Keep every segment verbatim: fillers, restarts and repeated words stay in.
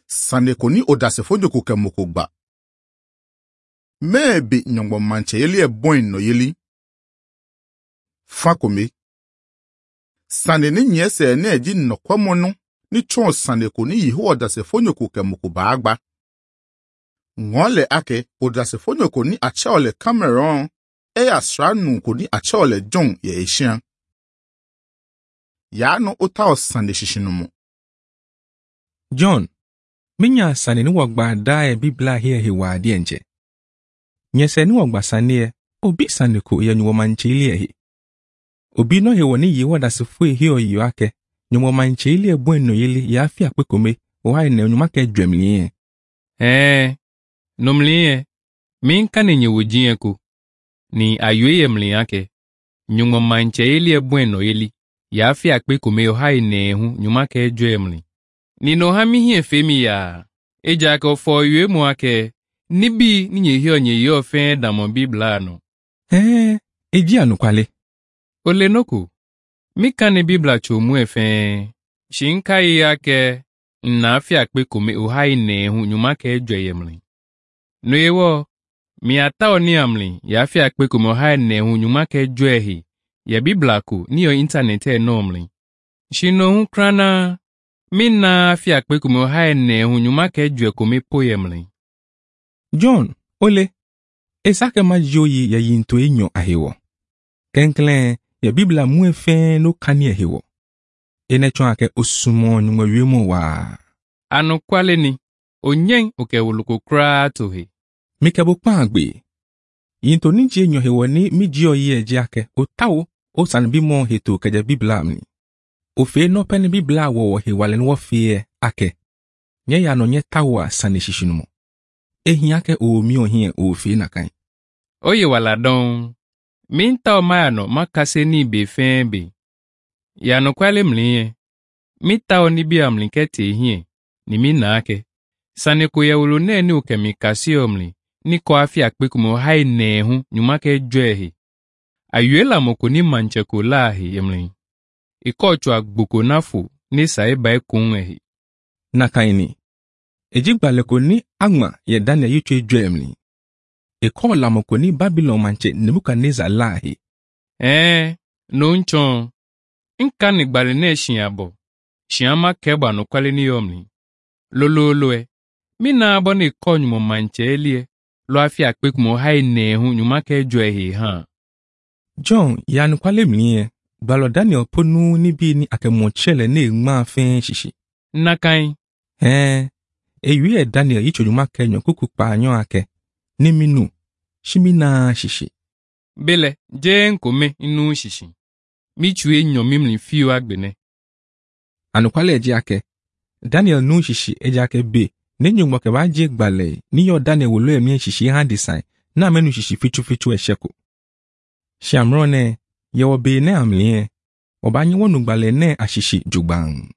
Saneko ni odasefo nyoko ke moko gba. Mɛɛ nyɔngbɔ mantsɛ yeli ɛbɔn nɔ yeli. Fakome. Sane ni nyɛsɛ ne ɛdzi nɔkɔmɔnu ni tsɔn saneko ni yehowa dasefo nyoko ke moko baagba. Ŋɔle ake odasefo nyoko ni atsɛwɔ le Cameroon eya sranu ko ni atsɛwɔ le John yɛ esia. Yaanu wota ɔsane sisinumu. John, minya sane ni wɔgba dae bibla hie he wa adie nche. Nyese ni wɔgba sane obi sane ko ye nyuwo manche ili ehe. Obi no he wɔ ni yehowa dasefo ehe oyiyo ake nyuwo manche ili ebu eno yeli ya afi akpekome oha ene onyuma ke dwemli ye. Eh, nomli ye, min kane nye wojiye ko. Ni ayoye ye mli ake. Nyuwo manche ili ebu eno yeli. Ya afi akpekome oha ene ehu nyuma ke dwemli. Ni no ha mi hie femi ya. Eja ke ofo yue mu ake. Nibi ni nye hio nye yo fe damo bibla no. Eh, eji anukwale. Ole noko. Mi kane bibla cho mu efe. Shinka yi ake. Nna afi akpekome oha ene ehu nyuma ke dwemli. No yewo. Mi ata oni amli ya afi akpekome oha ene ehu nyuma ke dwehi. Ya bibla ko ni yo internet e no mli. Shino hu krana. Mi na afi akpekome oha ene ehu nyuma ke dwe kome poyemli. John, ole, esake ma joyi ya yinto enyo ahewo. Kenklen, ya bibla mu efe no kani ehewo. Ene chon ake osumo nyungwe wiemo wa. Anukwale ni, onyen oke wuluko kra tohe. Mikebo kpan agbe. Yinto ninji enyo hewo ni mi oyi eje ake otawo o san bimo heto keje bibla mni. Ofe no peni bibla wo hewale no fie ake. Nye ya no nye tawo asane shishinumo. Ehin ake omi ohin ofe na kan. Oye wala don. Mi nta o maya no makase ni ibe fe be. Ya no kwale mli Mi ta o ni bi amli kete ehien ni mi na ake. Sane ko ya wolo na ni oke mi kasi omli ni ko afi akpekumo hai na ehu nyuma ke dwe Ayuela moko ni manche ko laahi emli. Ikochu agboko nafo ni saiba ekun ehi. Na kaini. Eji gbale ko ni agma ye Daniel yichwe dwe emli. Eko lamoko ni Babylon manche Nebuchadnezzar laahi. Eh, no nchon. Nka ni gbale na eshin abo. Shiama keba no kwale ni yomli. Lololo e. Mi na abo ni konyu mo manche elie. Lo afi akpekumo hai na ehu nyuma ke dwe ehi ha. John ya nukwale mli gbalo Daniel ponu nibi ni akemochele ne ngma fe shishi. Na kan. Eh, eyu e Daniel yicho nyuma ke nyo kuku pa anyo ake. Ni minu, shimi na shishi. Bele, je nkome inu shishi. Mi chue nyo mimli fiyo agbene. Anukwale eje ake. Daniel nu shishi eje ake be. Ne nyungbo ke ba je gbale ni yo Daniel wolo emi shishi han design na menu shishi fichu fichu esheko. Shamro ne yewo be ne amli e. Oba nyi wonu gbale ne ashishi jugban.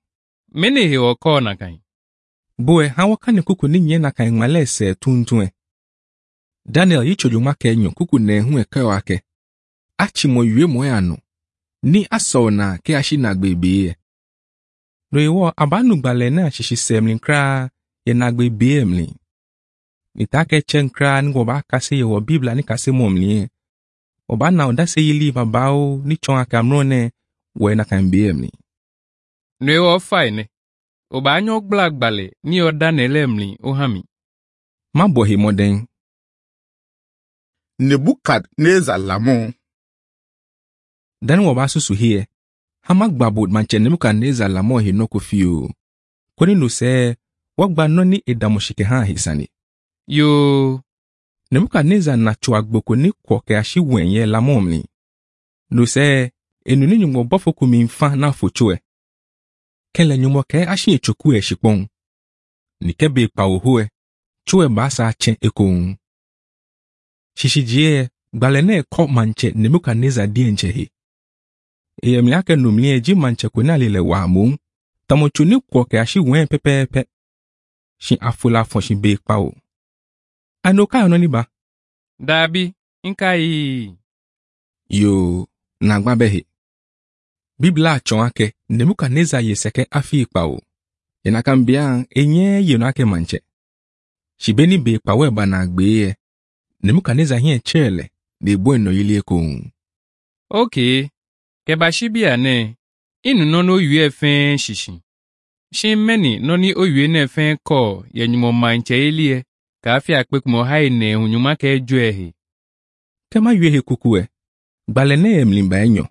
Mene he oko na kan. Boe ha waka kuku ni nye na kan ngmale se tuntun e. Daniel yicho juma ke nyo kuku ne hu e ke ake. Achi mo yue mo ya no. Ni aso na ke ashi na gbebe e. No iwo abanu gbale na ashishi semlin kra ye na gbebe emlin. Nitake chen kra ni wo ba kase ye wo Bibla ni kase mo mlin e. Oba na odase yili babao ni chon akamro ne we na kan be emlin. No iwo fa ne. Oba anyo gbla gbale ni o Daniel emlin o hami. Ma bo he moden. Nebukadnezar lamo. Dan wo ba susu here. Hama gbabo manche Nebukadnezar lamo he no kofi o. Koni no se wogba no ni edamoshike ha hisani. Yo. Nebukadnezar na cho agboko ni kwo ke ashi wenye lamo mli. No se enu ni nyungbo bofo kumi mfa na focho e. Kele nyumo ke ashi echoku e shipon. Ni kebe pa oho e. Cho e ba sa chen ekon. Shishi jie gbale na eko manche Nebukadnezar die nche he. Eyemi ake numli eji manche ko na lele wa mo. Tamocho ni kwo ke ashi wen pepepe. Shin afola fon shin be pa o. Ano ka ono ni ba? Dabi, nka yi. Yo, na gba behe. Bibla achon ake Nebukadnezar ye seke afi ipa o. Enakambia enye yeno ake manche. Shibeni be kpawe bana gbeye. Nebuchadnezzar hiɛ chele ne bo eno yili ko. Okay. Keba shibia ne. Inu nɔ n'oyue fɛn shishi. Shi meni nɔ ni oyue ne fɛn kɔ yɛ nyumɔ manche elie. Ka afia akpe kumɔ hai ne hunyuma ke jue he. Kema yue he kuku e. Gbale ne emlimba enyo.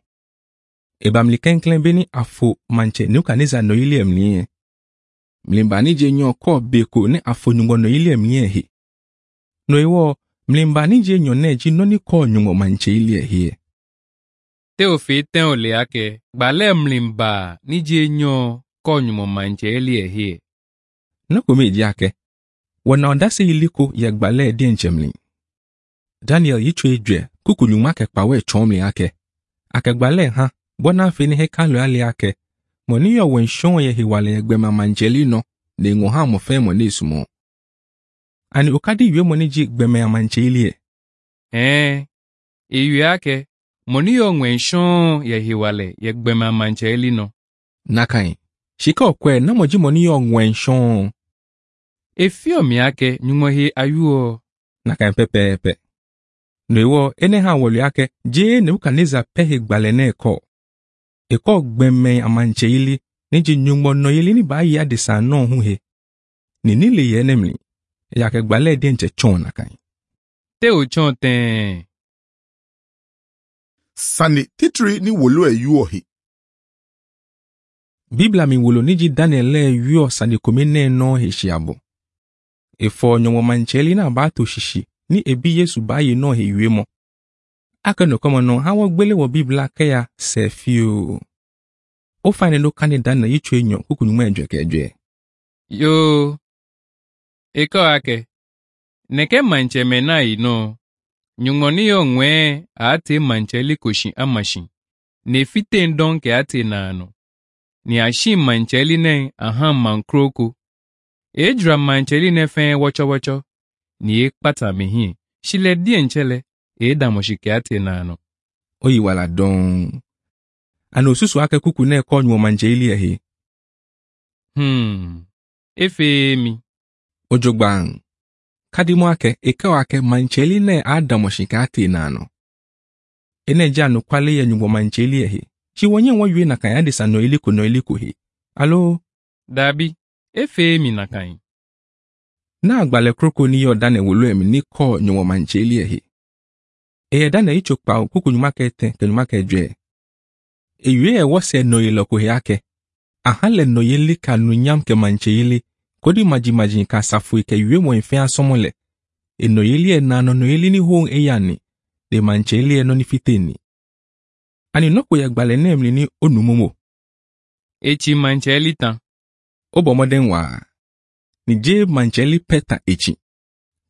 Ebamli kenklen beni afo manche Nebuchadnezzar no yili emli ye. Mlimba ni je nyo ko beko ne afo nyungo no yili emli ye he. No iwo mlimba ni je nyo ne ji no ni ko nyungo manche ili e he. Te ofe ten ole ake. Gbale mlimba ni je nyo kɔ nyumɔ manche elie he. No ko meji ake. Wana ondase iliko ya gbale die nchemli. Daniel yicho ejwe kuku nyuma ke kpawe chomli ake. Ake gbale ha bona afe ni hekalu ali ake. Mo ni yo wenshon ye hiwale ye gbema mancheli no ne ngo ha mo fe mo ne sumo. Ani okadi yue mo ni ji gbema ya mancheli e. Ɛn. Eyue ake. Mo ni yo ŋwɛnshɔn yɛ hiwale yɛ gbɛma manche eli nɔ. Nakai. Shika okwe na mo ji mo ni yo wenshon. Efio mi ake nyumɔ he ayuɔ. Nakai pepepe. No iwo ene ha wolu ake je Nebuchadnezzar pe he gbale na eko. Eko gbeme amanche ili ni ji nyungbo no yeli ni ba yi adesa no hu he. Ni nile ye nemli. Ya ke gbale die nche chon nakai. Te o tsɔn tɛn. Sane titiri ni wolo e yuo he. Biblia mi wolo ni ji Daniel le yuo sane kome ne no he shiabo. Efo nyongo mancheli na ba to shishi ni ebi Yesu ba ye no he yue mo. Ake no komo no ha wo gbele wo Biblia ke ya se fio. O fa ne no kane Daniel yicho enyo kuku nyuma enjwe keje. Yo. Eko ake. Neke manche me na yi no. Nyungɔ ni yo ŋwɛ ate manche eli koshi amashi. Ne fite ndɔn ke ate naano. Ni ashi manche eli ne ahan mankroko. Ejura manche eli ne fɛn wɔtsɔwɔtsɔ. Ni e kpata mi hin. Shile die ntsɛlɛ. E damoshi ke ate naano. O yi wala don. Ana osusu ake kuku na eko nyuo mancheli ehe. Hmm. Efe mi. Ojogban. Kadimo ake eke ake mancheli ne adamoshi ka ate nano. Ene ja no kwale ye nyuo mancheli ehe. Chi wonye wo yue na kan adesa no iliko no iliko he. Alo Dabi. Efe mi na kan. na agbale kroko ni yo dane wolo emi ni ko nyuo mancheli ehe. Eye dane icho pa kuku nyuma ke te ke nyuma ke dwe. Eyue e wo se no iloko he ake. Aha le no yeli ka nu nyam ke mancheli kodi maji maji ka safu ke yue mo ife asomole. Eno yeli e na no no yeli ni hon eyani. De mancheli e no ni fiteni. Ani noko ya gbale ne emli ni onumomo. Echi manche eli tan. Obo wa. Ni je mancheli peta echi.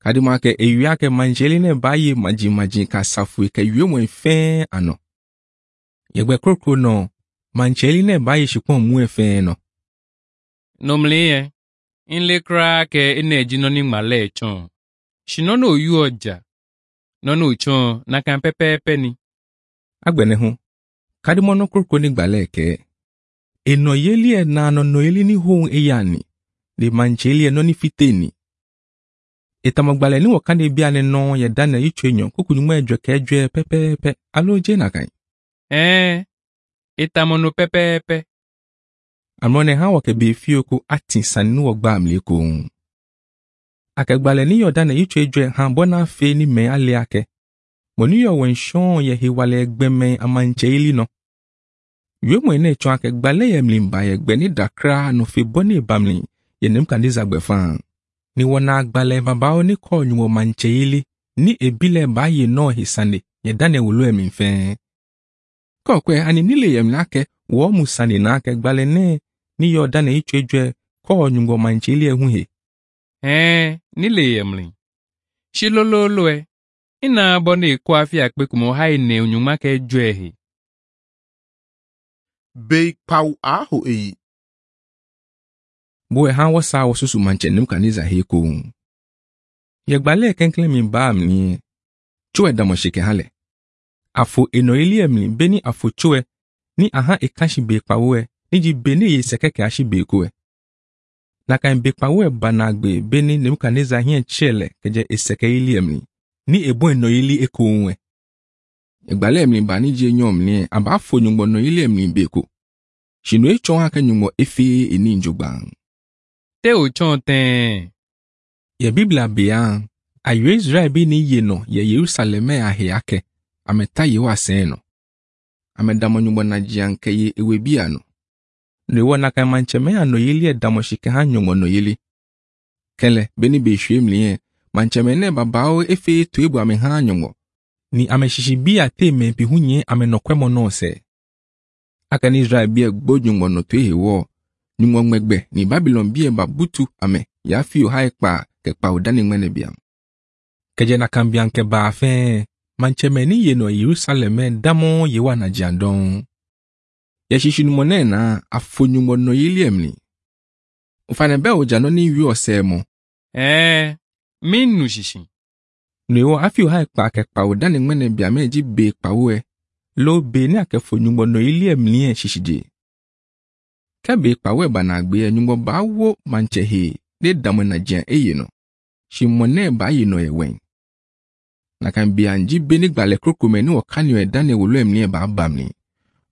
Kadimo ake eyue ake mancheli ne baye maji maji ka safu ke yue mo ife ano. Yegbe krokro no mancheli ne baye shikpon mu efe no. Nomle ye. Nle kra ke ene eji nọ ni ŋmalɛ tsɔn. Si nɔ n'oyu ọjà. Nɔ n'otsɔn na kan pɛpɛɛpɛ ni. Agbene hu. Kadimo no krokro ni gbale ke. Eno yeli e na no no yeli ni hon eyani. De mancheli e no ni fiteni. Etamagbale ni wakande bia ne no ye dana yicho enyo kuku nyuma edwe ke edwe pepepe alo je na kan. Ɛn. Etamono pɛpɛɛpɛ. Amrone ha wake be fioko ati sani ni wogba amle ko. Akegbale ni yo dana yicho edwe ha bona fe ni me ale ake. Mo ni yo wenshon ye hiwale egbe me amanche ili no. Yue mo ene chon akegbale ye mlimba ye gbe ni dakra no fe boni bamli ye Nebuchadnezzar gbe fan. Ni wona agbale baba oni ko nyuwo manche ili ni ebile ba ye no hisane ye dane wolo emi fe. Kokwe ani nile ye mlake wo mu sane na akegbale ne ni yo dane icho edwe ko nyuwo manche ili ehun he. Ɛn. Nile yemli. Si lololo ɛ. Ina bɔ ne ko afi akpe kumo ha ene onyuma ke jue he. Bei kpaw aho eyi. Bo e han wo sa wo susu manche Nebuchadnezzar he ko. Ye gbale kenkle mi ba amni. Chue damo shike hale. Afo eno ili emli beni afo chue ni aha ekashi be pawo e ni ji bene ye sekeke ashi be ko e. Na kan be kpawo banagbe beni Nebukadnezar hien chele keje eseke ili emli. Ni ebo eno ili eko onwe. Egbale emli ba ni je nyom ni aba fo nyungbo no ili emli beko. Shino e chon ake nyungbo efe eni njogban. Te o chon ten. Ye Biblia beyan, ayo Israel bi ni ye no ye Yerusalem ahe ake, ameta ye wa sen no. Amedamo nyungbo na jianke ye ewe bia no. No na kan mancheme ano yeli edamo shike ha nyungbo no yeli. Kele beni be hwe emli ye, mancheme ne babao efe to ebu ame ha nyungbo. Ni ameshishi bi ate me pi hunye ame nokwemo no se. Aka ni Israel bi egbo nyungbo no to ehe wo. Nyungbo ngbegbe ni Babylon bi e ba butu ame ya fi o ha ekpa ke pa odani ngbene biam. Keje na kambian ke ba fe, mancheme ni ye no Yerusalem damo ye wa na jiandon. Ye shishi numo ne na afo nyungbo no yeli emli. Ufane be oja no ni wi ose mo. Eh, min nu shishi. No iwo afi o ha ekpa ke Pa odani ngbene biam e ji be pa wo e. Lo be ni akefo nyungbo no yeli emli e shishi je. Ke be pa wo e ba na agbe e nyungbo ba wo manche he ne damo na jian e ye no. Shi mo ne ba ye no e wen. Na kan bi anji be ni gbale krokome ni wakani o edane wolo emli e ba bamni.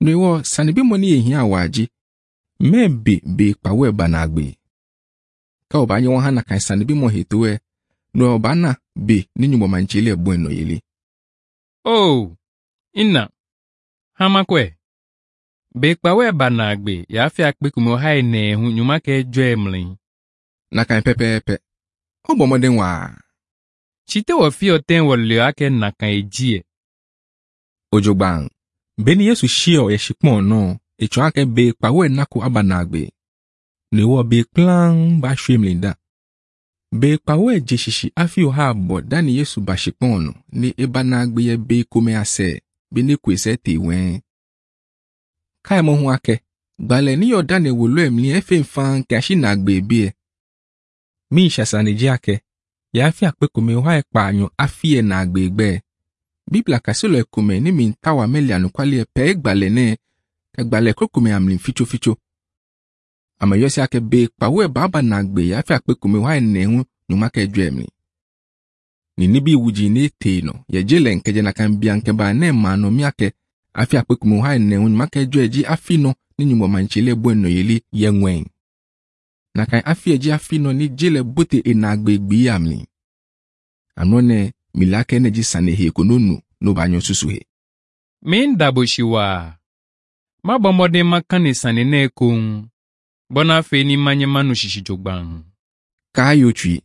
No iwo sani bi mo ni ehia awaji. Me be be pa wo e ba na agbe. Ka o ba nye won ha na kan sani bi mo heto e. No o ba na be ni nyungbo manche le bo eno yeli. Oh, ina. Hamakwe. Be kpawe ba na agbe ya fi akpe kumo ha ene hu nyuma ke jo emli. Na kan pepepe. O bo moden wa. Chite wo fi oten wo le ake na kan eji e. Ojogban. Beni Yesu shio ye shikpon no, echo ake be kpawo e nako aba na agbe. No iwo be kplan ba shwe emli da. Be kpawo e je shishi afi o ha bo dani Yesu ba shikpon no ni eba na agbe ye be kome ase be ni kwese te wen. Kai mo hu ake, gbale ni yo dani wolo emli efe mfan ke ashi na agbe bi e. Mi shasani ji ake, ya afi akpe kome o ha ekpa anyo afi e na agbe gbe. Biblia kasilo ekome ni mi ntawa meli anukwali epe egbale ne, egbale krokome amli ficho ficho. Ame yosi ake be kpawo e baba na agbe ya afi akpe kome o ha ene hu nyuma ke dwe emli. Ni nibi wuji ne te no, ye jele nkeje na kan bia nke ba ne ma no mi ake afi akpe kome o ha ene hu nyuma ke dwe ji afi no ni nyumbo manchile bo eno yeli ye ngwen. Na kan afi eji afi no ni jele bote e na agbe gbi amli. Ano ne milake ne ji sane he kononu no ba nyo susu he. Min dabo shiwa. Ma bo moden makane sane ne kon. Bona fe ni manye manu shishi jogban. Ka yo twi.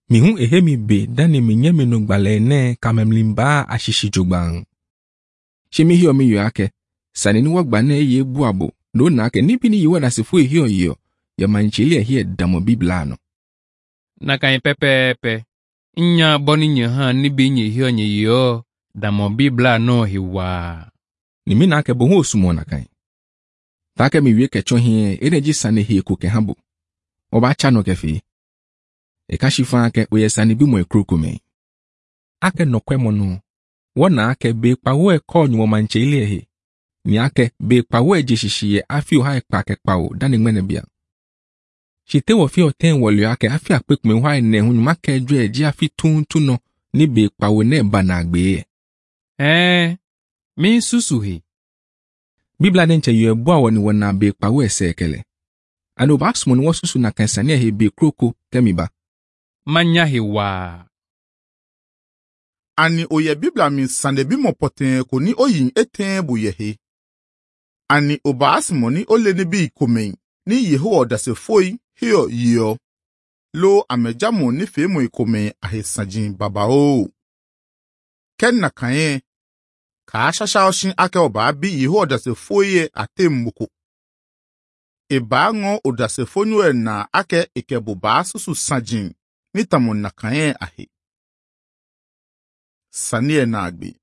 Mi hu ehe mi be dani mi nye mi no gbale ne kamemlimba ashishi jogban. She mi hio mi yo ake. Sane ni wagba na ye bu abo. No na ake ni bi ni yiwa na sefu ehio yo. Ya manchili ehie damo bibla no. Na kan pepepe. Nya boni nye ha ni bi nye hio nye yo. Damo bibla no hiwa. Ni mi na ake bo hu osumo na kan. Ta ke mi wie ke cho hie eneji sane hie ko ke habo. Oba cha no kefe. E ka shifa ake oye sane bi mo ekroko me. Ake nokwe mo no. Wona ake be kpawo e ko nyumo manche ile he. Ni ake be kpawo e jeshishi ye afi o ha ekpa ke kpawo dani ngbene bia. Shite wo fi oten wo le ake afi akpe kume hwa ene hu nyuma ke dwe eji afi tuntun no ni be kpawo na ba na agbe ye. Eh, min susu he. Biblia den che yo ebu awo ni wona be kpawo ese ekele. Ano ba sumo ni wo susu na kansani he be kroko kemi ba. Manya he wa. Ani oye Biblia mi sande bi mo poten ko ni oyin eten bo ye he. Ani oba asimo ni ole ni bi ikomen ni Yehowa dasefoi hio yio. Lo amejamo ni femo ikomen ahesanjin baba o. Ken na kan ka shasha oshin ake oba bi Yehowa dasefoi ye ate mmoko. Eba ngo odasefonu e na ake ikebo ba susu sanjin ni tamo na kan ahe. Sani e na agbe.